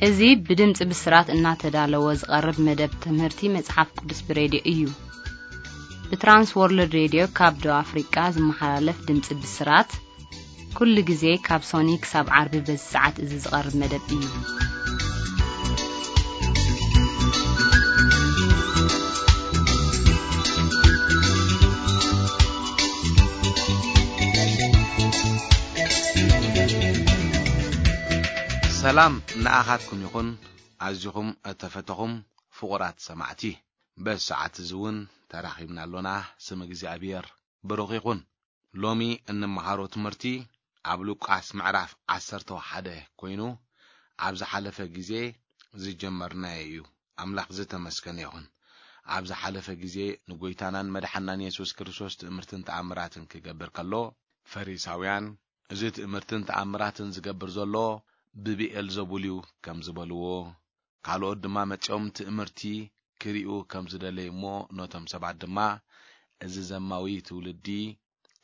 እዚ ብድምፂ ብስራት እናተዳለወ ዝቐርብ መደብ ትምህርቲ መጽሓፍ ቅዱስ ብሬድዮ እዩ። ብትራንስ ወርልድ ሬድዮ ካብ ደቡብ ኣፍሪቃ ዝመሓላለፍ ድምፂ ብስራት፣ ኩሉ ግዜ ካብ ሶኒ ክሳብ ዓርቢ በዚ ሰዓት እዚ ዝቐርብ መደብ እዩ። ሰላም ንኣኻትኩም ይኹን። ኣዚኹም እተፈተኹም ፍቑራት ሰማዕቲ፣ በዚ ሰዓት እዚ እውን ተራኺብና ኣሎና። ስም እግዚኣብሔር ብሩኽ ይኹን። ሎሚ እንመሃሮ ትምህርቲ ኣብ ሉቃስ ምዕራፍ ዓሰርተ ሓደ ኮይኑ፣ ኣብ ዝሓለፈ ግዜ ዝጀመርናዮ እዩ። ኣምላኽ ዝተመስገነ ይኹን። ኣብ ዝሓለፈ ግዜ ንጎይታናን መድሓናን የሱስ ክርስቶስ ትእምርትን ተኣምራትን ክገብር ከሎ፣ ፈሪሳውያን፣ "እዚ ትእምርትን ተኣምራትን ዝገብር ዘሎ ብብኤልዘቡል እዩ" ከም ዝበልዎ፣ ካልኦት ድማ መጺኦም ትእምርቲ ክርእዩ ከም ዝደለዩ እሞ፣ ነቶም ሰባት ድማ፣ "እዚ ዘማዊ ትውልዲ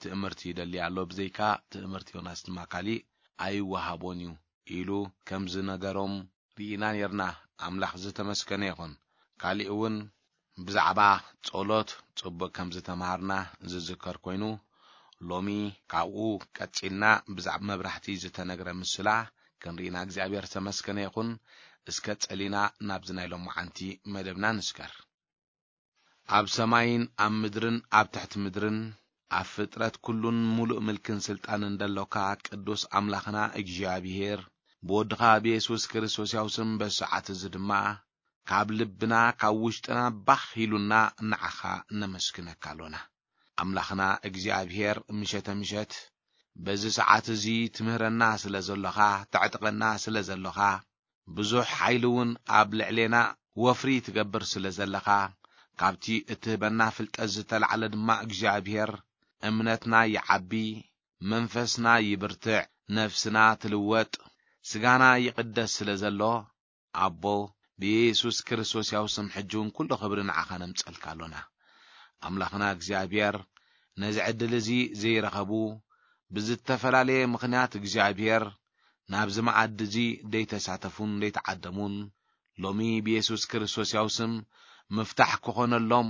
ትእምርቲ ይደሊ ኣሎ፣ ብዘይካ ትእምርቲ ዮናስ ድማ ካሊእ ኣይወሃቦን እዩ" ኢሉ ከም ዝነገሮም ርኢና ኔርና። ኣምላኽ ዝተመስገነ ይኹን። ካሊእ እውን ብዛዕባ ጸሎት ጽቡቕ ከም ዝተምሃርና ዝዝከር ኮይኑ፣ ሎሚ ካብኡ ቀጺልና ብዛዕባ መብራህቲ ዝተነግረ ምስላ ክንርኢና እግዚኣብሔር ዝተመስገነ ይኹን። እስከ ጸሊና ናብዚ ናይ ሎማዓንቲ መደብና ንስገር። ኣብ ሰማይን ኣብ ምድርን ኣብ ትሕቲ ምድርን ኣብ ፍጥረት ኩሉን ሙሉእ ምልክን ስልጣንን ደሎካ ቅዱስ ኣምላኽና እግዚኣብሔር፣ ብወድኻ ብየሱስ ክርስቶስ ያው ስም በዚ ሰዓት እዚ ድማ ካብ ልብና ካብ ውሽጥና ባኽ ኢሉና ንዓኻ ነመስግነካ ኣሎና። ኣምላኽና እግዚኣብሔር ምሸተ ምሸት በዚ ሰዓት እዚ ትምህረና ስለ ዘሎኻ፣ ተዕጥቐና ስለ ዘሎኻ፣ ብዙሕ ሓይሊ እውን ኣብ ልዕሌና ወፍሪ ትገብር ስለ ዘለኻ፣ ካብቲ እትህበና ፍልጠት ዝተላዕለ ድማ እግዚኣብሔር እምነትና ይዓቢ፣ መንፈስና ይብርትዕ፣ ነፍስና ትልወጥ፣ ስጋና ይቕደስ ስለ ዘሎ፣ ኣቦ፣ ብየሱስ ክርስቶስ ያው ስም ሕጂ እውን ኩሉ ክብሪ ንዓኻ ነምጸልካ ኣሎና። ኣምላኽና እግዚኣብሔር ነዚ ዕድል እዚ ዘይረኸቡ፣ ብዝተፈላለየ ምኽንያት እግዚኣብሔር ናብዚ መኣዲ እዚ ደይተሳተፉን ደይተዓደሙን፣ ሎሚ ብየሱስ ክርስቶስ ያው ስም ምፍታሕ ክኾነሎም፣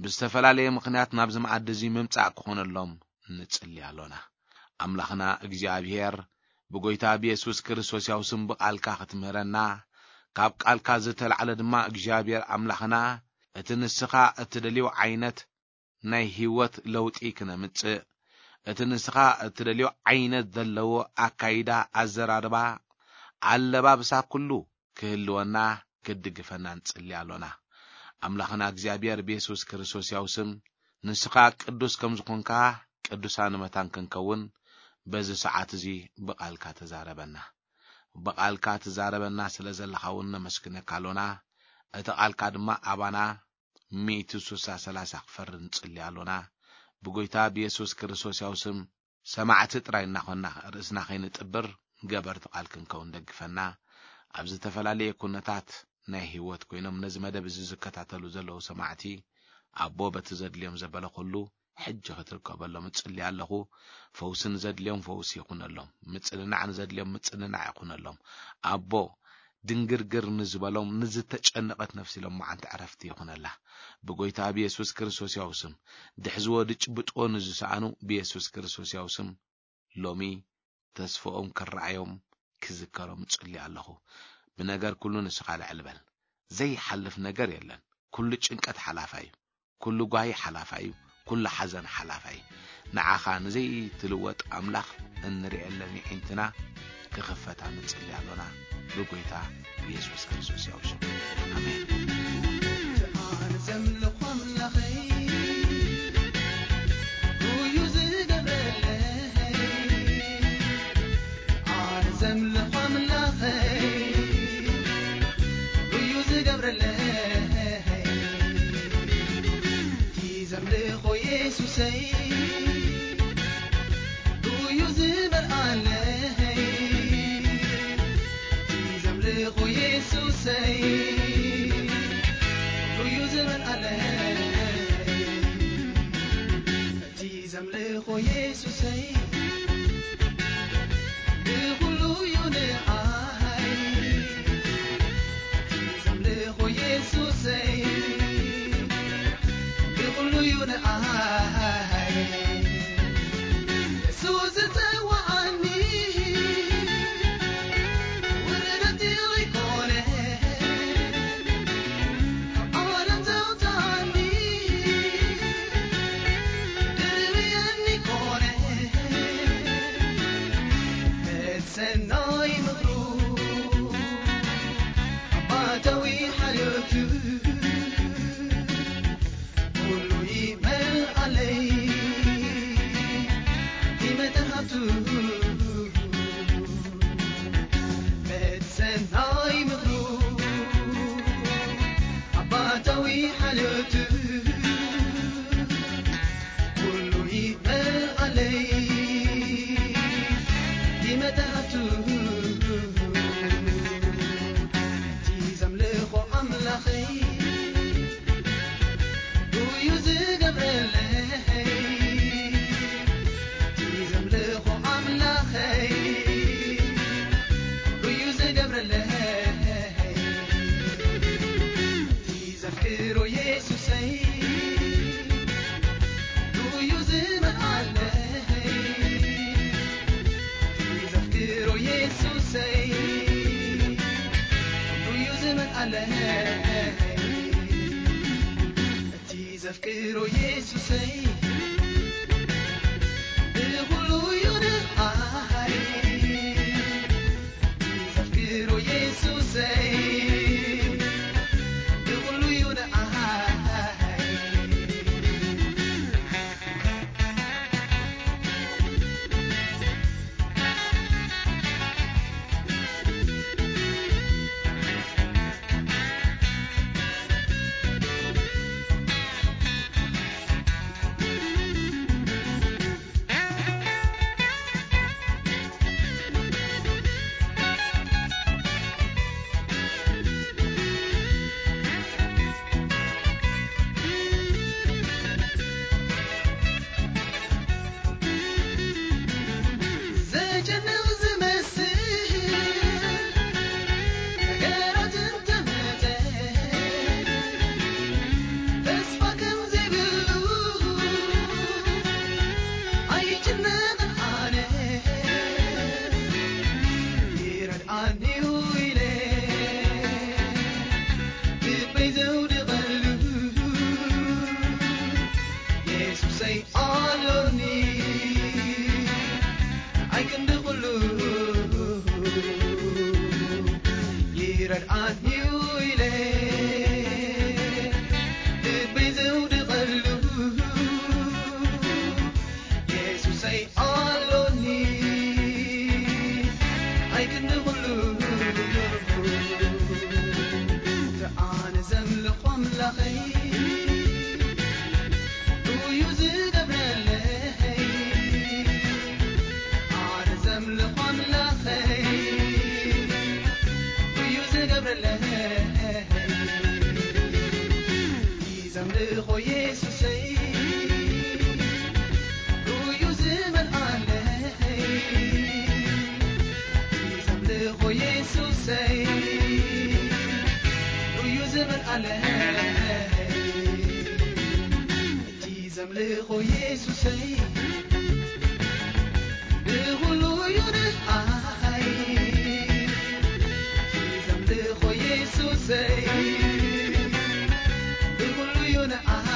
ብዝተፈላለየ ምኽንያት ናብዚ መኣዲ እዚ ምምጻእ ክኾነሎም ንጽሊ ኣሎና። ኣምላኽና እግዚኣብሔር ብጎይታ ብየሱስ ክርስቶስ ያው ስም ብቓልካ ክትምህረና፣ ካብ ቃልካ ዝተላዕለ ድማ እግዚኣብሔር ኣምላኽና እቲ ንስኻ እትደልዮ ዓይነት ናይ ህይወት ለውጢ ክነምጽእ፣ እቲ ንስኻ እትደልዮ ዓይነት ዘለዎ ኣካይዳ፣ ኣዘራርባ፣ ኣለባብሳ ኩሉ ክህልወና፣ ክትድግፈና ንጽሊ ኣሎና። ኣምላኽና እግዚኣብሔር ብየሱስ ክርስቶስ ያው ስም ንስኻ ቅዱስ ከም ዝኾንካ ቅዱሳን መታን ክንከውን በዚ ሰዓት እዚ ብቓልካ ተዛረበና። ብቓልካ ትዛረበና ስለ ዘለኻ እውን ነመስግነካ ኣሎና። እቲ ቃልካ ድማ ኣባና ሚእቲ ስሳ ሰላሳ ክፈርድ ንጽሊ ኣሎና። ብጎይታ ብየሱስ ክርስቶስ ያው ስም ሰማዕቲ ጥራይ እናኾንና ርእስና ከይንጥብር ገበርቲ ቃል ክንከውን ደግፈና። ኣብ ዝተፈላለየ ኩነታት ናይ ህይወት ኮይኖም ነዚ መደብ እዚ ዝከታተሉ ዘለዉ ሰማዕቲ፣ ኣቦ በቲ ዘድልዮም ዘበለ ኩሉ ሕጂ ክትርከበሎም እጽሊ ኣለኹ። ፈውሲ ንዘድልዮም ፈውሲ ይኹነሎም። ምጽንናዕ ንዘድልዮም ምጽንናዕ ይኹነሎም። ኣቦ ድንግርግር ንዝበሎም ንዝተጨነቐት ነፍሲ ኢሎም መዓንቲ ዕረፍቲ ይኹነላ። ብጎይታ ብየሱስ ክርስቶስ ያው ስም ድሕዝዎ ድጭብጥዎ ንዝሰኣኑ ብየሱስ ክርስቶስ ያው ስም ሎሚ ተስፍኦም ክረኣዮም ክዝከሮም እጽሊ ኣለኹ። ብነገር ኩሉ ንስኻ ልዕል በል። ዘይሓልፍ ነገር የለን። ኩሉ ጭንቀት ሓላፋ እዩ። ኩሉ ጓሂ ሓላፋ እዩ። ኩሉ ሓዘን ሓላፋ እዩ። ንዓኻ ንዘይትልወጥ ኣምላኽ እንርእየለን የዒንትና ክኽፈታ ንጽሊ ኣሎና። ብጎይታ ብየሱስ ክርስቶስ ያው ሽም። ኣሜን። ኣነ ዘምልኾ ኣምላኸይ እዩ ዝገብረለይ። ኣነ ዘምልኾ ኣምላኸይ እዩ ዝገብረለይ። እቲ ዘምልኾ የሱሰይ እዩ ዝመልኣለይ። እዩ ዝመልኣለይ እቲ ዘምልኾ የሱሰይ። ብኹሉ እዩ ንዓይ እቲ ዘምልኾ የሱሰይ። ብኹሉ እዩ ንዓይ እሱ ዝጸዋዓኒ። ውርደት ዘይኮነ ካብ ዓለም ዘውጽኣኒ። ድርብየኒ ኮነ ሰናይ ምኽሩ ኣባታዊ ሓልዮቱ ኩሉ ይመልኣለይ ብመጠን ሃብቱ። በቲ ሰናይ ምኽሩ ኣባታዊ ሓልዮቱ ኩሉ ይመልኣለይ ብመጠን ሃብቱ። እቲ ዘምልኾ ኣምላኸይ እዩ ዝገብረለይ። እቲ ዘምልኾ ኣምላኸይ እዩ ዝገብረለይ። እቲ ዘፍቅሮ የሱሰይ እዩ ዝመልኣለይ። እቲ ዘፍቅሮ የሱሰይ እዩ ዝመልኣለይ። እቲ ዘፍቅሮ የሱሰይ ብኹሉ እዩ ንዓይ። ዘፍቅሮ የሱሰይ ብኹሉ እዩ ንዓይ። ዘጨንቕ ዝመስል ነገራት እንተመጸ፣ ተስፋ ከም ዘይብሉ ኣይጭነቕን ኣነ። ይረድኣኒ እዩ ኢለ ልበይ ዘውድቐሉ የሱሰይ ኣሎኒ። ኣይ ክንዲ ኩሉ ይረድኣኒ እዩ ኢለ ልበይ ዘውድቐሉ የሱሰይ ኣሎኒ። ኣይ ክንዲ ኩሉ ኣነ ዘምልኾ ኣምላኸይ እዩ ዝገብረለይ። ኣነ ዘምልኾ ኣምላኸይ እዩ ዝገብረለይ። ዘምልኾ የሱሰይ እዩ ዝመልኣለይ። ዘምልኾ የሱሰይ እዩ ዝመልኣለይ። እቲ ዘምልኾ የሱሰይ ብኹሉ እዩ ንዓይ። ዘምልኾ የሱሰይ ብኹሉ እዩ ንዓይ።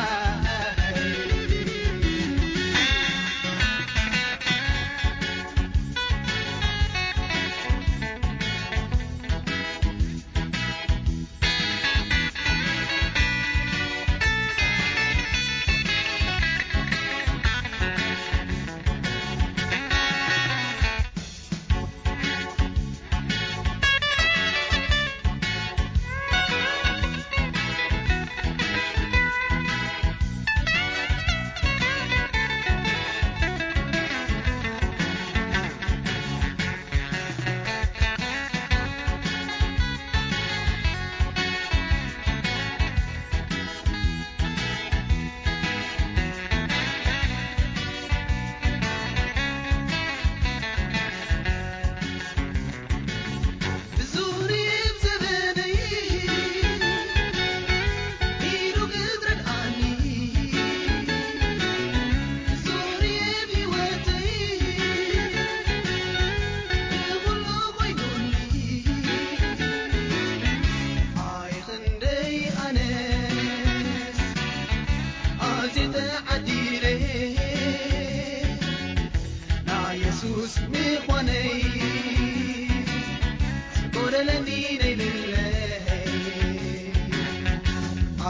ሰለኒ ነይልለይ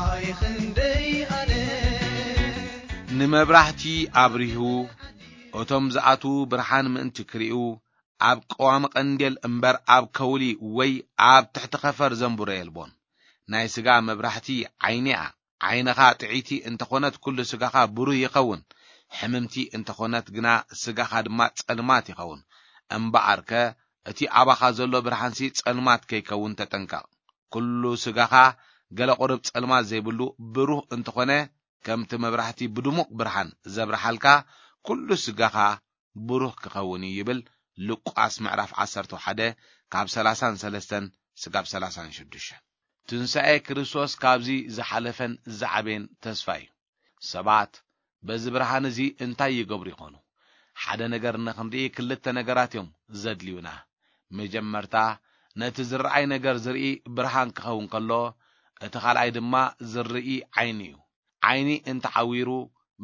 ኣይ ክንደይ ኣነ ንመብራህቲ ኣብሪሁ እቶም ዝኣትዉ ብርሃን ምእንቲ ክርእዩ ኣብ ቀዋሚ ቀንዴል እምበር ኣብ ከውሊ ወይ ኣብ ትሕቲ ኸፈር ዘንብሮ የልቦን። ናይ ስጋ መብራህቲ ዓይኒኣ። ዓይንኻ ጥዕይቲ እንተኾነት ኩሉ ስጋኻ ብሩህ ይኸውን። ሕምምቲ እንተኾነት ግና ስጋኻ ድማ ጸልማት ይኸውን። እምበኣርከ እቲ ኣባኻ ዘሎ ብርሃንሲ ጸልማት ከይከውን ተጠንቀቕ። ኩሉ ስጋኻ ገለ ቁርብ ጸልማት ዘይብሉ ብሩህ እንተኾነ፣ ከምቲ መብራህቲ ብድሙቕ ብርሃን ዘብርሃልካ ኩሉ ስጋኻ ብሩህ ክኸውን እዩ ይብል ሉቃስ ምዕራፍ ዓሰርተ ሓደ ካብ ሰላሳን ሰለስተን ስጋብ ሰላሳን ሽዱሽተን። ትንሳኤ ክርስቶስ ካብዚ ዝሓለፈን ዝዓበየን ተስፋ እዩ። ሰባት በዚ ብርሃን እዚ እንታይ ይገብሩ ይኾኑ? ሓደ ነገር ንኽንርኢ ክልተ ነገራት እዮም ዘድልዩና። መጀመርታ ነቲ ዝረኣይ ነገር ዝርኢ ብርሃን ክኸውን ከሎ፣ እቲ ካልኣይ ድማ ዝርኢ ዓይኒ እዩ። ዓይኒ እንተዓዊሩ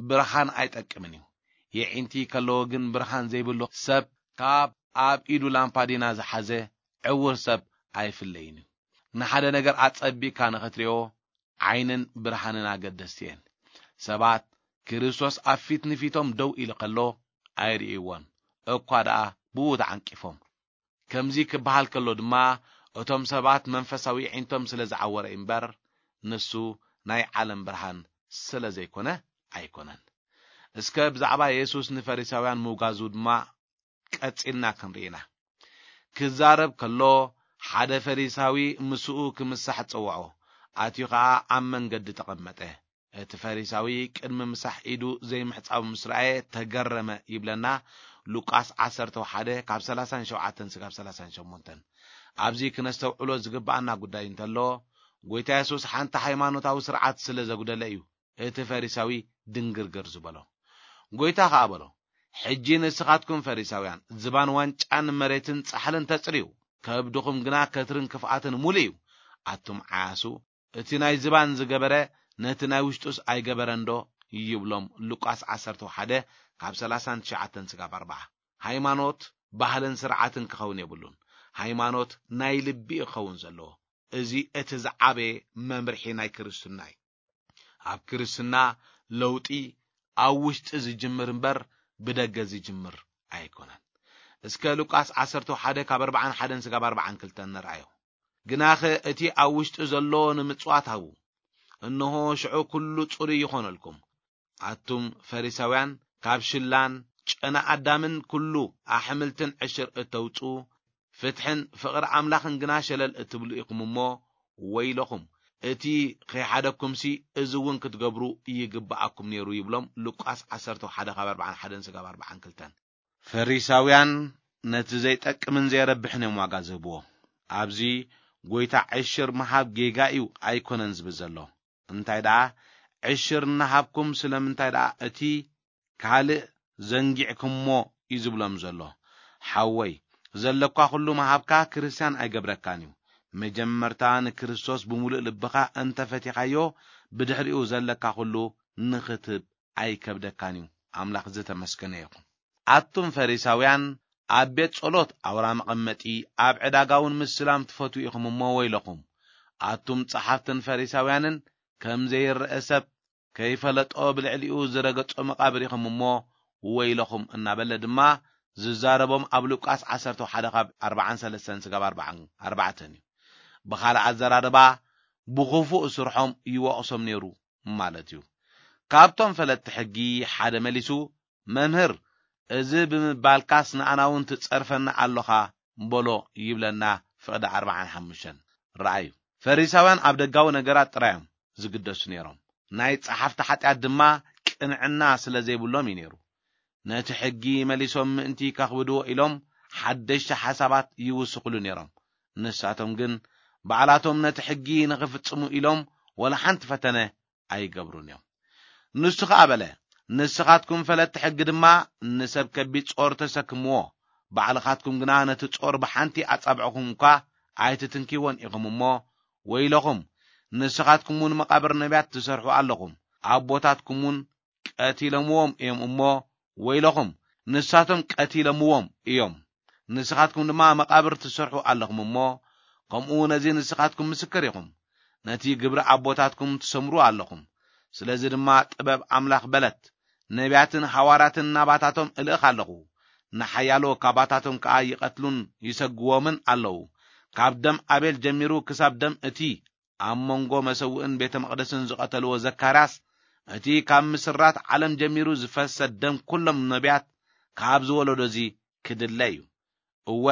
ብርሃን ኣይጠቅምን እዩ። የዒንቲ ከለዎ ግን ብርሃን ዘይብሉ ሰብ ካብ ኣብ ኢዱ ላምፓዲና ዝሓዘ ዕውር ሰብ ኣይፍለይን እዩ። ንሓደ ነገር ኣጸቢቕካ ንኽትሪኦ ዓይንን ብርሃንን ኣገደስቲ እየን። ሰባት ክርስቶስ ኣብ ፊት ንፊቶም ደው ኢሉ ከሎ ኣይርእይዎን፣ እኳ ደኣ ብኡ ተዓንቂፎም። ከምዚ ክበሃል ከሎ ድማ እቶም ሰባት መንፈሳዊ ኣዒንቶም ስለ ዝዓወረ እምበር፣ ንሱ ናይ ዓለም ብርሃን ስለ ዘይኮነ ኣይኮነን። እስከ ብዛዕባ የሱስ ንፈሪሳውያን ምውጋዙ ድማ ቀጺልና ክንርኢ ኢና። ክዛረብ ከሎ ሓደ ፈሪሳዊ ምስኡ ክምሳሕ ጸውዖ፣ ኣትዩ ኸኣ ኣብ መንገዲ ተቐመጠ። እቲ ፈሪሳዊ ቅድሚ ምሳሕ ኢዱ ዘይምሕጻቡ ምስ ረኣየ ተገረመ ይብለና ሉቃስ ዓሰርተ ሓደ ካብ ሰላሳን ሸውዓተን ስጋብ ሰላሳን ሸሞንተን። ኣብዚ ክነስተውዕሎ ዝግብኣና ጉዳይ እንተሎ፣ ጎይታ የሱስ ሓንቲ ሃይማኖታዊ ስርዓት ስለ ዘጉደለ እዩ እቲ ፈሪሳዊ ድንግርግር ዝበሎ። ጎይታ ኸኣ በሎ፣ ሕጂ ንስኻትኩም ፈሪሳውያን ዝባን ዋንጫን መሬትን ጻሕልን ተጽርዩ፣ ከብድኹም ግና ከትርን ክፍኣትን ሙሉ እዩ። ኣቱም ዓያሱ፣ እቲ ናይ ዝባን ዝገበረ ነቲ ናይ ውሽጡስ ኣይገበረንዶ? ይብሎም ሉቃስ ዓሰርተ ሓደ ካብ ሰላሳን ትሽዓተን ስጋብ ኣርባዓ። ሃይማኖት ባህልን ስርዓትን ክኸውን የብሉን። ሃይማኖት ናይ ልቢ እዩ ክኸውን ዘለዎ። እዚ እቲ ዝዓበየ መምርሒ ናይ ክርስትና እዩ። ኣብ ክርስትና ለውጢ ኣብ ውሽጢ ዝጅምር እምበር ብደገ ዝጅምር ኣይኮነን። እስከ ሉቃስ ዓሰርተ ሓደ ካብ ኣርባዓን ሓደን ስጋብ ኣርባዓን ክልተን ንርኣዮ። ግናኸ እቲ ኣብ ውሽጢ ዘሎ ንምጽዋት ሃቡ፣ እንሆ ሽዑ ኩሉ ጽሩይ ይኾነልኩም። ኣቱም ፈሪሳውያን ካብ ሽላን ጨና ኣዳምን ኩሉ ኣሕምልትን ዕሽር እተውጽኡ፣ ፍትሕን ፍቕሪ ኣምላኽን ግና ሸለል እትብሉ ኢኹም እሞ ወይለኹም። እቲ ከይሓደኩምሲ እዚ እውን ክትገብሩ ይግብኣኩም ነይሩ ይብሎም ሉቃስ ዓሰርተ ሓደ ካብ ኣርባዓን ሓደን ስጋብ ኣርባዓን ክልተን። ፈሪሳውያን ነቲ ዘይጠቅምን ዘይረብሕን እዮም ዋጋ ዝህብዎ። ኣብዚ ጎይታ ዕሽር ምሃብ ጌጋ እዩ ኣይኮነን ዝብል ዘሎ። እንታይ ደኣ ዕሽር እናሃብኩም ስለምንታይ ደኣ እቲ ካልእ ዘንጊዕኩሞ እዩ ዝብሎም ዘሎ። ሓወይ፣ ዘለኳ ኩሉ ምሃብካ ክርስትያን ኣይገብረካን እዩ። መጀመርታ ንክርስቶስ ብምሉእ ልብኻ እንተፈቲኻዮ፣ ብድሕሪኡ ዘለካ ኩሉ ንኽትህብ ኣይከብደካን እዩ። ኣምላኽ ዝተመስገነ ይኹን። ኣቱም ፈሪሳውያን፣ ኣብ ቤት ጸሎት ኣውራ መቐመጢ፣ ኣብ ዕዳጋ እውን ምስላም ትፈትዉ ኢኹም እሞ ወይለኹም። ኣቱም ጸሓፍትን ፈሪሳውያንን፣ ከም ዘይረአ ሰብ ከይፈለጦ ብልዕሊኡ ዝረገጾ መቓብር ኢኹም እሞ ወይለኹም እናበለ ድማ ዝዛረቦም ኣብ ሉቃስ ዓሰርተ ሓደ ካብ ኣርባዓን ሰለስተን ስጋብ ኣርባዓን ኣርባዕተን እዩ። ብኻልእ ኣዘራርባ ብኽፉእ ስርሖም ይወቕሶም ነይሩ ማለት እዩ። ካብቶም ፈለጥቲ ሕጊ ሓደ መሊሱ፣ "መምህር፣ እዚ ብምባልካስ ንኣና እውን ትጸርፈና ኣሎኻ?" በሎ ይብለና ፍቕዲ ኣርባዓን ሓሙሽተን። ረኣዩ፣ ፈሪሳውያን ኣብ ደጋዊ ነገራት ጥራይ እዮም ዝግደሱ ነይሮም። ናይ ጸሓፍቲ ሓጢኣት ድማ ቅንዕና ስለ ዘይብሎም እዩ ነይሩ። ነቲ ሕጊ መሊሶም ምእንቲ ከኽብድዎ ኢሎም ሓደሽቲ ሓሳባት ይውስኹሉ ነይሮም። ንሳቶም ግን ባዕላቶም ነቲ ሕጊ ንኽፍጽሙ ኢሎም ወላ ሓንቲ ፈተነ ኣይገብሩን እዮም። ንሱ ኸኣ በለ፣ "ንስኻትኩም ፈለጥቲ ሕጊ ድማ ንሰብ ከቢድ ጾር ተሰክምዎ፣ ባዕልኻትኩም ግና ነቲ ጾር ብሓንቲ ኣጻብዕኹም እኳ ኣይትትንክይዎን ኢኹም እሞ ወይለኹም፣ ንስኻትኩም እውን መቓብር ነቢያት ትሰርሑ ኣለኹም። ኣቦታትኩም እውን ቀቲሎምዎም እዮም እሞ ወይለኹም፣ ንሳቶም ቀቲሎምዎም እዮም። ንስኻትኩም ድማ መቓብር ትሰርሑ ኣለኹም እሞ ከምኡ ነዚ ንስኻትኩም ምስክር ኢኹም። ነቲ ግብሪ ኣቦታትኩም ትሰምሩ ኣለኹም። ስለዚ ድማ ጥበብ ኣምላኽ በለት፣ ነቢያትን ሃዋርያትን ናባታቶም እልእኽ ኣለኹ። ንሓያሎ ካባታቶም ከኣ ይቐትሉን ይሰግዎምን ኣለዉ። ካብ ደም ኣቤል ጀሚሩ ክሳብ ደም እቲ ኣብ መንጎ መሰውእን ቤተ መቕደስን ዝቐተልዎ ዘካርያስ፣ እቲ ካብ ምስራት ዓለም ጀሚሩ ዝፈሰ ደም ኩሎም ነቢያት ካብ ዝወለዶ እዚ ክድለ እዩ። እወ፣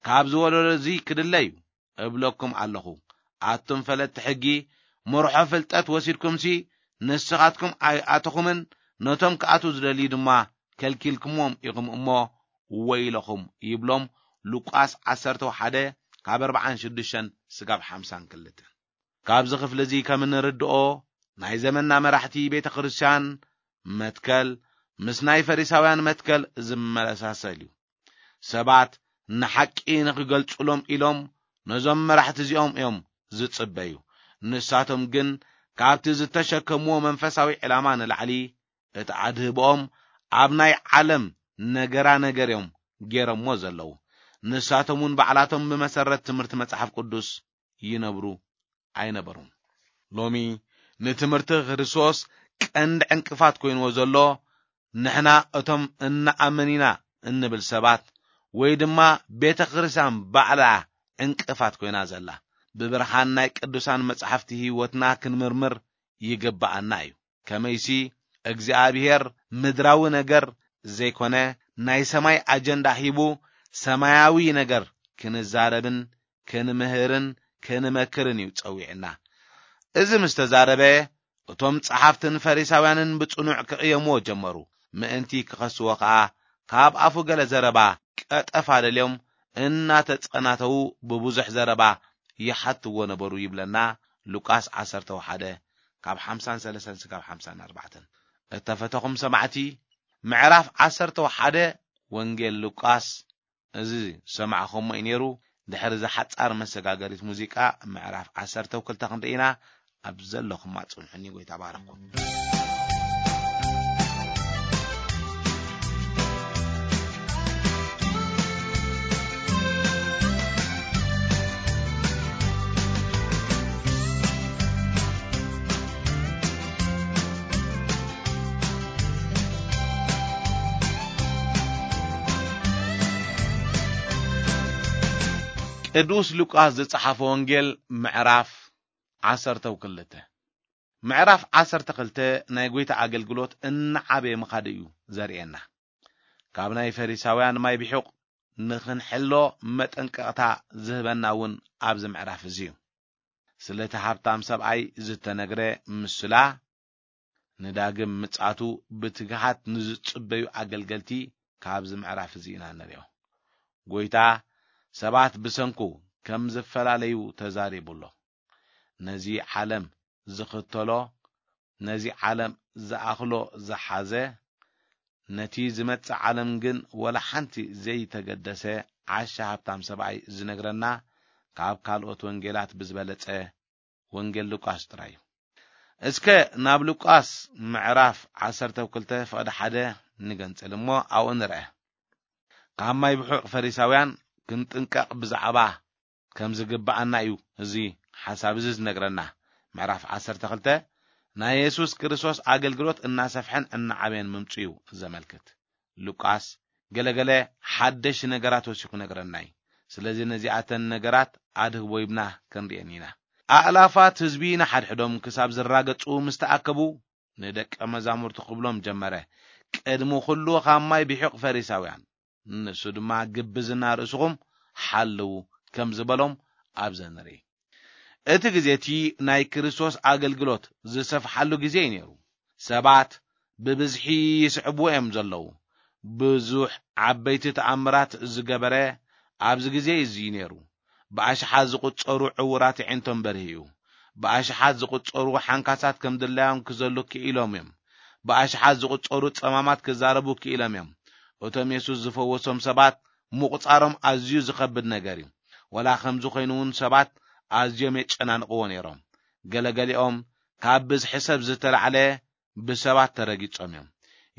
ካብ ዝወለዶ እዚ ክድለ እዩ እብለኩም ኣለኹ። ኣቱም ፈለጥቲ ሕጊ፣ መርሖ ፍልጠት ወሲድኩምሲ፣ ንስኻትኩም ኣይኣተኹምን፣ ነቶም ክኣትዉ ዝደልዩ ድማ ከልኪልኩምዎም ኢኹም እሞ፣ ወይለኹም ይብሎም። ሉቃስ ዓሰርተ ሓደ ካብ ኣርብዓን ሽዱሽተን ስጋብ ሓምሳን ክልተን። ካብዚ ክፍሊ እዚ ከም እንርድኦ፣ ናይ ዘመንና መራሕቲ ቤተ ክርስቲያን መትከል ምስ ናይ ፈሪሳውያን መትከል ዝመሳሰል እዩ። ሰባት ንሓቂ ንኽገልጹሎም ኢሎም ነዞም መራሕቲ እዚኦም እዮም ዝጽበዩ። ንሳቶም ግን ካብቲ ዝተሸከምዎ መንፈሳዊ ዕላማ ንላዕሊ እቲ ኣድህቦኦም ኣብ ናይ ዓለም ነገራ ነገር እዮም ገይሮምዎ ዘለዉ። ንሳቶም እውን ባዕላቶም ብመሰረት ትምህርቲ መጽሓፍ ቅዱስ ይነብሩ ኣይነበሩን። ሎሚ ንትምህርቲ ክርስቶስ ቀንዲ ዕንቅፋት ኮይንዎ ዘሎ፣ ንሕና እቶም እንኣምን ኢና እንብል ሰባት ወይ ድማ ቤተ ክርስቲያን ባዕላ ዕንቅፋት ኮይና ዘላ። ብብርሃን ናይ ቅዱሳን መጻሕፍቲ ህይወትና ክንምርምር ይግብኣና እዩ። ከመይሲ እግዚኣብሔር ምድራዊ ነገር ዘይኮነ ናይ ሰማይ ኣጀንዳ ሂቡ ሰማያዊ ነገር ክንዛረብን ክንምህርን ክንመክርን እዩ ጸዊዕና። እዚ ምስ ተዛረበ እቶም ጸሓፍትን ፈሪሳውያንን ብጽኑዕ ክቕየምዎ ጀመሩ። ምእንቲ ክኸስዎ ከኣ ካብ ኣፉ ገለ ዘረባ ቀጠፍ ኣለልዮም እናተጸናተዉ ብብዙሕ ዘረባ ይሓትዎ ነበሩ ይብለና ሉቃስ ዓሰርተ ሓደ ካብ ሓምሳን ሰለስተን ስጋብ ሓምሳን ኣርባዕተን። እተፈተኹም ሰማዕቲ፣ ምዕራፍ ዓሰርተ ሓደ ወንጌል ሉቃስ እዚ ዝሰማዕኹሞ እዩ ነይሩ። ድሕሪ እዛ ሓጻር መሰጋገሪት ሙዚቃ ምዕራፍ ዓሰርተ ክልተ ክንርኢ ኢና። ኣብ ዘለኹም ኣጽንሑኒ፣ ጎይታ ባረኩም። ቅዱስ ሉቃስ ዝጸሓፈ ወንጌል ምዕራፍ ዓሰርተ ክልተ። ምዕራፍ ዓሰርተ ክልተ ናይ ጐይታ ኣገልግሎት እናዓበየ ምኻዱ እዩ ዘርእየና። ካብ ናይ ፈሪሳውያን ማይ ብሑቕ ንኽንሕሎ መጠንቀቕታ ዝህበና እውን ኣብዚ ምዕራፍ እዚ እዩ። ስለ እቲ ሃብታም ሰብኣይ ዝተነግረ ምስላ፣ ንዳግም ምጽኣቱ ብትግሃት ንዝጽበዩ ኣገልገልቲ ካብዚ ምዕራፍ እዚ ኢና ንርእዮ። ጐይታ ሰባት ብሰንኩ ከም ዝፈላለዩ ተዛሪቡ ኣሎ። ነዚ ዓለም ዝኽተሎ፣ ነዚ ዓለም ዝኣኽሎ ዝሓዘ፣ ነቲ ዝመጽእ ዓለም ግን ወላ ሓንቲ ዘይተገደሰ ዓሻ ሃብታም ሰብኣይ ዝነግረና ካብ ካልኦት ወንጌላት ብዝበለጸ ወንጌል ሉቃስ ጥራይ እዩ። እስከ ናብ ሉቃስ ምዕራፍ ዓሰርተ ክልተ ፍቕዲ ሓደ ንገንጽል እሞ ኣብኡ ንርአ። ካብ ማይ ብሑቕ ፈሪሳውያን ክንጥንቀቕ ብዛዕባ ከም ዝግብኣና እዩ እዚ ሓሳብ እዚ ዝነግረና። ምዕራፍ ዓሰርተ ክልተ ናይ የሱስ ክርስቶስ ኣገልግሎት እናሰፍሐን እናዓበየን ምምጽኡ እዩ ዘመልክት። ሉቃስ ገለገለ ሓደሽ ነገራት ወሲኹ ነግረና እዩ። ስለዚ ነዚኣተን ነገራት ኣድህቦ ይብና ክንርእየን ኢና። ኣእላፋት ህዝቢ ንሓድሕዶም ክሳብ ዝራገጹ ምስ ተኣከቡ ንደቀ መዛሙርቱ ክብሎም ጀመረ፣ ቅድሚ ኩሉ ካብ ማይ ብሒቕ ፈሪሳውያን፣ ንሱ ድማ ግብዝና ርእስኹም ሓልዉ ከም ዝበሎም ኣብዘ ንርኢ። እቲ ግዜ እቲ ናይ ክርስቶስ ኣገልግሎት ዝሰፍሓሉ ግዜ እዩ ነይሩ። ሰባት ብብዝሒ ይስዕብዎ እዮም ዘለዉ። ብዙሕ ዓበይቲ ተኣምራት ዝገበረ ኣብዚ ግዜ እዚ እዩ ነይሩ። ብኣሽሓት ዝቑጸሩ ዕዉራት ኣዒንቶም በርሂ እዩ። ብኣሽሓት ዝቑጸሩ ሓንካሳት ከም ድላዮም ክዘሉ ክኢሎም እዮም። ብኣሽሓት ዝቑጸሩ ጸማማት ክዛረቡ ክኢሎም እዮም። እቶም የሱስ ዝፈወሶም ሰባት ምቑጻሮም ኣዝዩ ዝኸብድ ነገር እዩ። ወላ ከምዚ ኮይኑ እውን ሰባት ኣዝዮም የጨናንቕዎ ነይሮም። ገለገሊኦም ካብ ብዝሒ ሰብ ዝተላዕለ ብሰባት ተረጊጾም እዮም።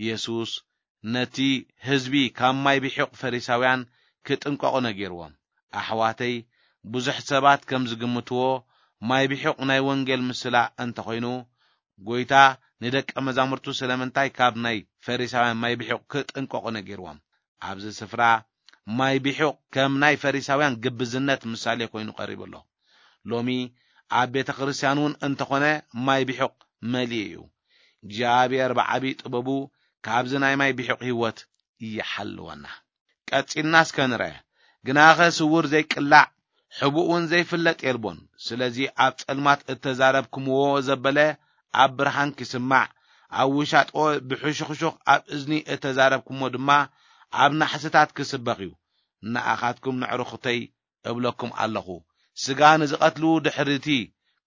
የሱስ ነቲ ህዝቢ ካብ ማይ ብሒቕ ፈሪሳውያን ክጥንቀቑ ነጊርዎም። ኣሕዋተይ፣ ብዙሕ ሰባት ከም ዝግምትዎ ማይ ብሒቕ ናይ ወንጌል ምስላ እንተኾይኑ፣ ጎይታ ንደቀ መዛሙርቱ ስለምንታይ ካብ ናይ ፈሪሳውያን ማይ ብሒቕ ክጥንቀቑ ነጊርዎም? ኣብዚ ስፍራ ማይ ብሒቕ ከም ናይ ፈሪሳውያን ግብዝነት ምሳሌ ኮይኑ ቀሪቡ ኣሎ። ሎሚ ኣብ ቤተ ክርስቲያን እውን እንተኾነ ማይ ብሒቕ መሊኡ እዩ። እግዚኣብሔር ብዓብዪ ጥበቡ ካብዚ ናይ ማይ ብሒቕ ህይወት ይሓልወና። ቀጺልና እስከ ንርአ። ግናኸ ስውር ዘይቅላዕ፣ ሕቡእ እውን ዘይፍለጥ የልቦን። ስለዚ ኣብ ጸልማት እተዛረብኩምዎ ዘበለ ኣብ ብርሃን ክስማዕ፣ ኣብ ውሻጦ ብሕሹኽሹኽ ኣብ እዝኒ እተዛረብኩሞ ድማ ኣብ ናሕስታት ክስበኽ እዩ። ንኣኻትኩም ንዕርኹተይ እብለኩም ኣለኹ፣ ስጋ ንዝቐትሉ ድሕርቲ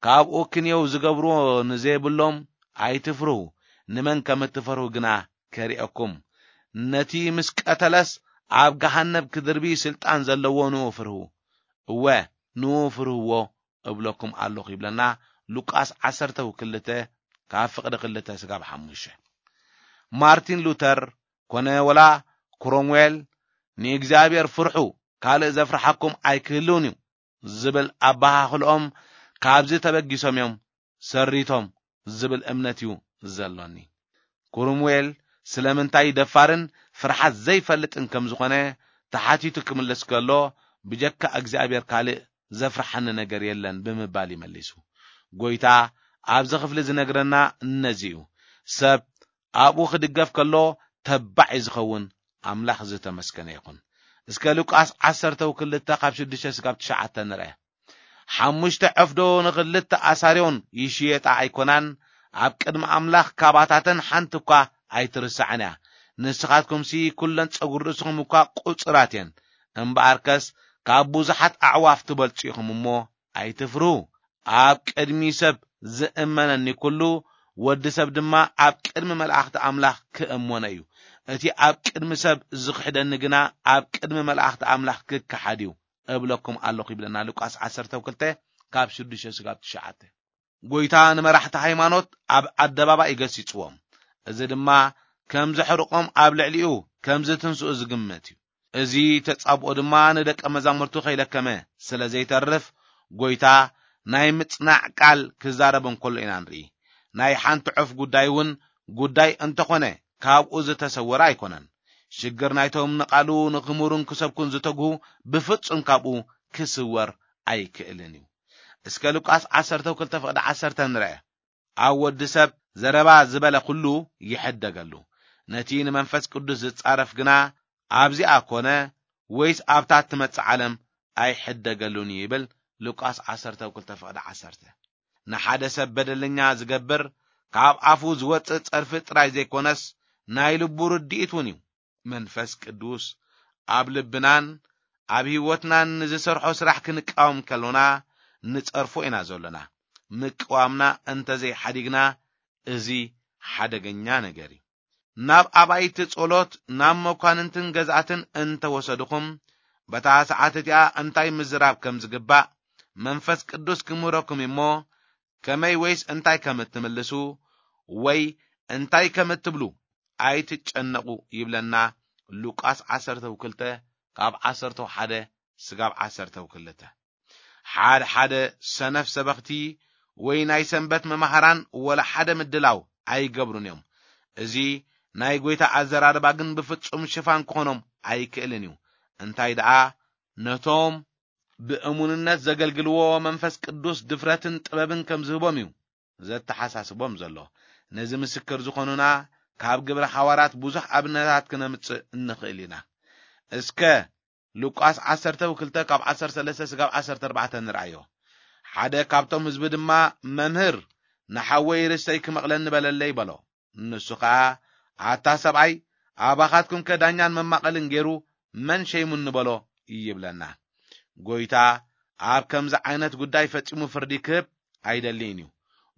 ካብኡ ክንየው ዝገብርዎ ንዘይብሎም ኣይትፍርሁ። ንመን ከም እትፈርሁ ግና ከርእየኩም። ነቲ ምስ ቀተለስ ኣብ ገሃነብ ክድርቢ ስልጣን ዘለዎ ንኡ ፍርሁ። እወ፣ ንኡ ፍርህዎ እብለኩም ኣለኹ ይብለና ሉቃስ ዓሰርተ ክልተ ካብ ፍቕዲ ክልተ ስጋብ ሓሙሽተ። ማርቲን ሉተር ኮነ ወላ ክሮምዌል ንእግዚኣብሔር ፍርሑ፣ ካልእ ዘፍርሓኩም ኣይክህልውን እዩ ዝብል ኣበሃህልኦም ካብዚ ተበጊሶም እዮም ሰሪቶም ዝብል እምነት እዩ ዘሎኒ። ክሩምዌል ስለምንታይ ደፋርን ፍርሓት ዘይፈልጥን ከም ዝኾነ ተሓቲቱ ክምልስ ከሎ፣ ብጀካ እግዚኣብሔር ካልእ ዘፍርሓኒ ነገር የለን ብምባል ይመሊሱ። ጎይታ ኣብዚ ክፍሊ ዝነግረና ነዚ እዩ። ሰብ ኣብኡ ክድገፍ ከሎ ተባዕ እዩ ዝኸውን። ኣምላኽ ዝተመስገነ ይኹን። እስከ ሉቃስ ዓሰርተ ክልተ ካብ ሽዱሽተ ስጋብ ትሽዓተ ንርአ። ሓሙሽተ ዕፍዶ ንኽልተ ኣሳርዮን ይሽየጣ ኣይኮናን? ኣብ ቅድሚ ኣምላኽ ካባታተን ሓንቲ እኳ ኣይትርሳዕን እያ። ንስኻትኩምሲ ኩለን ጸጉሪ ርእስኹም እኳ ቁጽራት እየን። እምበኣርከስ ካብ ብዙሓት ኣዕዋፍ ትበልጹ ኢኹም እሞ ኣይትፍርሁ። ኣብ ቅድሚ ሰብ ዝእመነኒ ኩሉ፣ ወዲ ሰብ ድማ ኣብ ቅድሚ መላእኽቲ ኣምላኽ ክእመኖ እዩ። እቲ ኣብ ቅድሚ ሰብ ዝኽሕደኒ ግና ኣብ ቅድሚ መላእኽቲ ኣምላኽ ክከሓድ እዩ እብለኩም ኣለኹ ይብለና ሉቃስ ዓሰርተ ክልተ ካብ ሽዱሽተ ስጋብ ትሽዓተ። ጎይታ ንመራሕቲ ሃይማኖት ኣብ ኣደባባይ ይገሲጽዎም። እዚ ድማ ከም ዘሕርቆም ኣብ ልዕሊኡ ከም ዝትንስኡ ዝግመት እዩ። እዚ ተጻብኦ ድማ ንደቀ መዛሙርቱ ከይለከመ ስለ ዘይተርፍ፣ ጎይታ ናይ ምጽናዕ ቃል ክዛረብ እንከሎ ኢና ንርኢ። ናይ ሓንቲ ዑፍ ጉዳይ እውን ጉዳይ እንተኾነ ካብኡ ዝተሰወረ ኣይኮነን። ሽግር ናይቶም ንቓሉ ንኽምሩን ክሰብኩን ዝተግሁ ብፍጹም ካብኡ ክስወር ኣይክእልን እዩ። እስከ ሉቃስ ዓሰርተ ክልተ ፍቕዲ ዓሰርተ ንርአ። ኣብ ወዲ ሰብ ዘረባ ዝበለ ኩሉ ይሕደገሉ። ነቲ ንመንፈስ ቅዱስ ዝጻረፍ ግና ኣብዚኣ ኮነ ወይስ ኣብታ እትመጽእ ዓለም ኣይሕደገሉን እዩ ይብል ሉቃስ ዓሰርተ ክልተ ፍቕዲ ዓሰርተ። ንሓደ ሰብ በደለኛ ዝገብር ካብ ኣፉ ዝወጽእ ጸርፊ ጥራይ ዘይኮነስ ናይ ልቡ ርድኢት እውን እዩ። መንፈስ ቅዱስ ኣብ ልብናን ኣብ ህይወትናን ንዝሰርሖ ስራሕ ክንቃወም ከሎና ንጸርፎ ኢና ዘሎና። ምቅዋምና እንተዘይሓዲግና እዚ ሓደገኛ ነገር እዩ። ናብ ኣባይቲ ጸሎት፣ ናብ መኳንንትን ገዛእትን እንተወሰድኹም፣ በታ ሰዓት እቲኣ እንታይ ምዝራብ ከም ዝግባእ መንፈስ ቅዱስ ክምህረኩም እሞ፣ ከመይ ወይስ እንታይ ከም እትምልሱ ወይ እንታይ ከም እትብሉ ኣይትጨነቑ ይብለና ሉቃስ ዓሰርተ ክልተ ካብ ዓሰርተ ሓደ ስጋብ ዓሰርተ ክልተ። ሓደ ሓደ ሰነፍ ሰበኽቲ ወይ ናይ ሰንበት መማህራን ወላ ሓደ ምድላው ኣይገብሩን እዮም። እዚ ናይ ጎይታ ኣዘራርባ ግን ብፍጹም ሽፋን ክኾኖም ኣይክእልን እዩ። እንታይ ደኣ ነቶም ብእሙንነት ዘገልግልዎ መንፈስ ቅዱስ ድፍረትን ጥበብን ከም ዝህቦም እዩ ዘተሓሳስቦም ዘሎ። ነዚ ምስክር ዝኾኑና ካብ ግብረ ሓዋርያት ብዙሕ ኣብነታት ክነምጽእ እንኽእል ኢና። እስከ ሉቃስ ዓሰርተ ክልተ ካብ ዓሰርተ ሰለስተ ስጋብ ዓሰርተ ኣርባዕተ ንርኣዮ። ሓደ ካብቶም ህዝቢ ድማ፣ "መምህር፣ ንሓወይ ርስተይ ክመቕለኒ በለለይ" በሎ። ንሱ ኸኣ፣ "ኣታ ሰብኣይ፣ ኣባኻትኩም ከ ዳኛን መማቐልን ገይሩ መን ሸይሙኒ በሎ?" ይብለና። ጎይታ ኣብ ከምዚ ዓይነት ጉዳይ ፈጺሙ ፍርዲ ክህብ ኣይደልይን እዩ።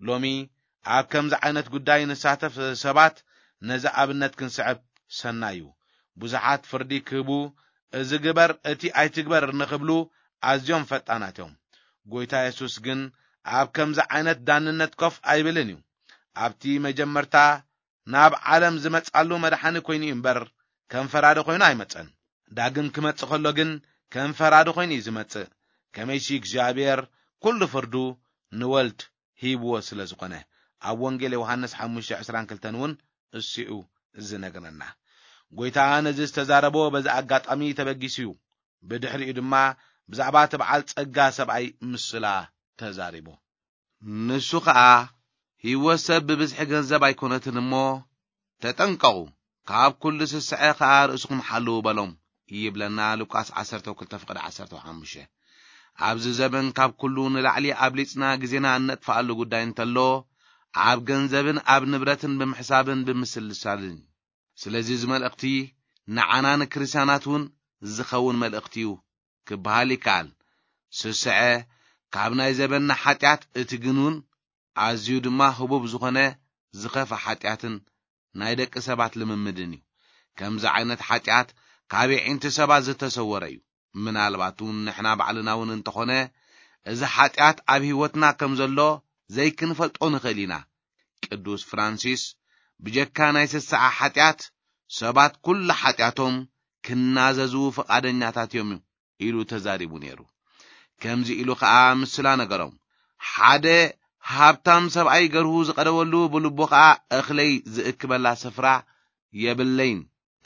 ሎሚ ኣብ ከምዚ ዓይነት ጉዳይ ንሳተፍ ሰባት ነዚ ኣብነት ክንስዕብ ሰናይ እዩ። ብዙሓት ፍርዲ ክህቡ፣ "እዚ ግበር፣ እቲ ኣይትግበር" ንኽብሉ ኣዝዮም ፈጣናት እዮም። ጎይታ የሱስ ግን ኣብ ከምዚ ዓይነት ዳንነት ኮፍ ኣይብልን እዩ። ኣብቲ መጀመርታ ናብ ዓለም ዝመጻሉ መድሓኒ ኮይኑ እዩ እምበር፣ ከም ፈራዲ ኮይኑ ኣይመጸን። ዳግም ክመጽእ ከሎ ግን ከም ፈራዲ ኮይኑ እዩ ዝመጽእ። ከመይሲ እግዚኣብሔር ኩሉ ፍርዱ ንወልድ ሂብዎ ስለ ዝኾነ፣ ኣብ ወንጌል ዮሃንስ ሓሙሽተ ዕስራን ክልተን እውን እሱ እዩ ዝነግረና። ጎይታ ነዚ ዝተዛረቦ በዚ ኣጋጣሚ ተበጊሱ እዩ። ብድሕሪኡ ድማ ብዛዕባ እቲ በዓል ጸጋ ሰብኣይ ምስላ ተዛሪቡ። ንሱ ኸኣ፣ ህይወት ሰብ ብብዝሒ ገንዘብ ኣይኮነትን እሞ፣ ተጠንቀቑ፣ ካብ ኩሉ ስስዐ ኸኣ ርእስኹም ሓልዉ በሎም፣ ይብለና ሉቃስ ዓሰርተ ክልተ ፍቕዲ ዓሰርተ ሓሙሽተ። ኣብዚ ዘበን ካብ ኩሉ ንላዕሊ ኣብሊጽና ግዜና እነጥፍኣሉ ጉዳይ እንተሎ፣ ኣብ ገንዘብን ኣብ ንብረትን ብምሕሳብን ብምስልሳልን እዩ። ስለዚ እዚ መልእኽቲ ንዓና ንክርስትያናት እውን ዝኸውን መልእኽቲ እዩ ክበሃል ይከኣል። ስስዐ ካብ ናይ ዘበንና ሓጢኣት እቲ ግን እውን ኣዝዩ ድማ ህቡብ ዝኾነ ዝኸፍእ ሓጢኣትን ናይ ደቂ ሰባት ልምምድን እዩ። ከምዚ ዓይነት ሓጢኣት ካብ የዒንቲ ሰባት ዝተሰወረ እዩ። ምናልባት እውን ንሕና ባዕልና እውን እንተኾነ እዚ ሓጢኣት ኣብ ህይወትና ከም ዘሎ ዘይክንፈልጦ ንኽእል ኢና። ቅዱስ ፍራንሲስ ብጀካ ናይ ስስዓ ሓጢኣት ሰባት ኩሉ ሓጢኣቶም ክናዘዙ ፍቓደኛታት እዮም ኢሉ ተዛሪቡ ነይሩ። ከምዚ ኢሉ ኸኣ ምስላ ነገሮም። ሓደ ሃብታም ሰብኣይ ገርሁ ዝቐደወሉ ብልቡ ኸኣ እኽለይ ዝእክበላ ስፍራ የብለይን፣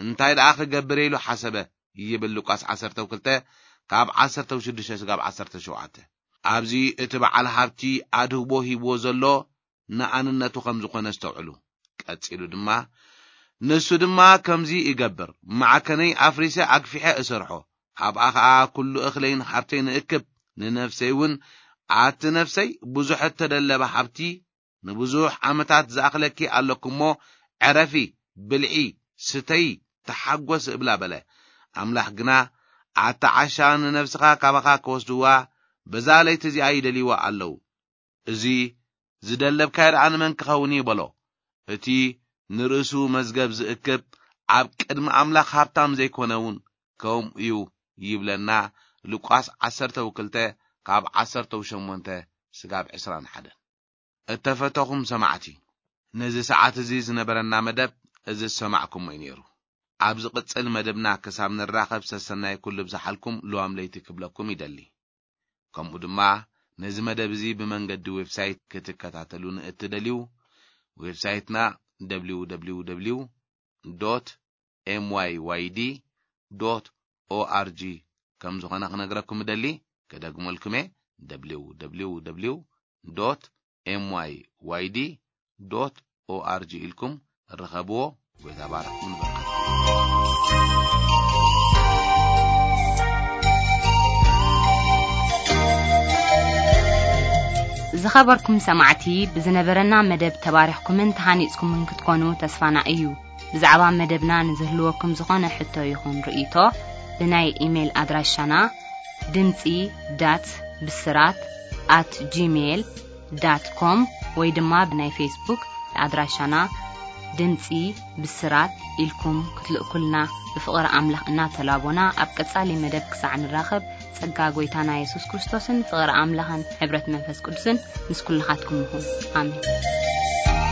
እንታይ ደኣ ክገብር ኢሉ ሓሰበ ይብል ሉቃስ ዓሰርተ ክልተ ካብ ዓሰርተ ሽዱሽተ ስጋብ ዓሰርተ ሸውዓተ። ኣብዚ እቲ በዓል ሃብቲ ኣድህቦ ሂብዎ ዘሎ ንኣንነቱ ከም ዝኾነ ኣስተውዕሉ። ቀጺሉ ድማ፣ ንሱ ድማ ከምዚ ይገብር፣ ማዕከነይ ኣፍሪሰ ኣግፊሐ እሰርሖ፣ ኣብኣ ኸኣ ኩሉ እኽለይን ሃብተይን እእክብ፣ ንነፍሰይ እውን፣ ኣቲ ነፍሰይ፣ ብዙሕ እተደለበ ሃብቲ ንብዙሕ ዓመታት ዝኣኽለኪ ኣለኩ እሞ፣ ዕረፊ፣ ብልዒ፣ ስተዪ፣ ተሓጎስ እብላ በለ። ኣምላኽ ግና፣ ኣታ ዓሻ፣ ንነፍስኻ ካባኻ ክወስድዋ፣ በዛ ለይቲ እዚኣ ይደልይዋ ኣለዉ። እዚ ዝደለብካዮ ደኣ ንመን ክኸውን እዩ በሎ። እቲ ንርእሱ መዝገብ ዝእክብ ኣብ ቅድሚ ኣምላኽ ሃብታም ዘይኮነ እውን ከምኡ እዩ ይብለና ሉቃስ ዓሰርተ ክልተ ካብ ዓሰርተ ሸሞንተ ስጋብ ዕስራን ሓደን። እተፈተኹም ሰማዕቲ፣ ነዚ ሰዓት እዚ ዝነበረና መደብ እዚ ዝሰማዕኩሞ እዩ ነይሩ። ኣብ ዝቕጽል መደብና ክሳብ ንራኸብ ሰሰናይ ኩሉ ብዝሓልኩም ልዋም ለይቲ ክብለኩም ይደሊ። ከምኡ ድማ ነዚ መደብ እዚ ብመንገዲ ዌብሳይት ክትከታተሉ ንእትደልዩ፣ ዌብሳይትና ደብሊው ደብሊው ደብሊው ዶት ኤም ዋይ ዋይ ዲ ዶት ኦ ኣር ጂ ከም ዝኾነ ክነግረኩም እደሊ። ክደግመልኩም እየ፣ ደብሊው ደብሊው ደብሊው ዶት ኤም ዋይ ዋይ ዲ ዶት ኦ ኣር ጂ ኢልኩም ርኸብዎ። ጎይታ ባርኽኩም ንበረኸት። ዝኸበርኩም ሰማዕቲ፣ ብዝነበረና መደብ ተባሪኽኩምን ተሃኒጽኩምን ክትኮኑ ተስፋና እዩ። ብዛዕባ መደብና ንዝህልወኩም ዝኾነ ሕቶ ይኹን ርእይቶ፣ ብናይ ኢሜይል ኣድራሻና ድምጺ ዳት ብስራት ኣት ጂሜይል ዳት ኮም ወይ ድማ ብናይ ፌስቡክ ኣድራሻና ድምጺ ብስራት ኢልኩም ክትልእኩልና ብፍቕሪ ኣምላኽ እናተላቦና፣ ኣብ ቀጻሊ መደብ ክሳዕ ንራኸብ፣ ጸጋ ጐይታና የሱስ ክርስቶስን ፍቕሪ ኣምላኽን ሕብረት መንፈስ ቅዱስን ምስ ኩልኻትኩም ይኹን። ኣሜን።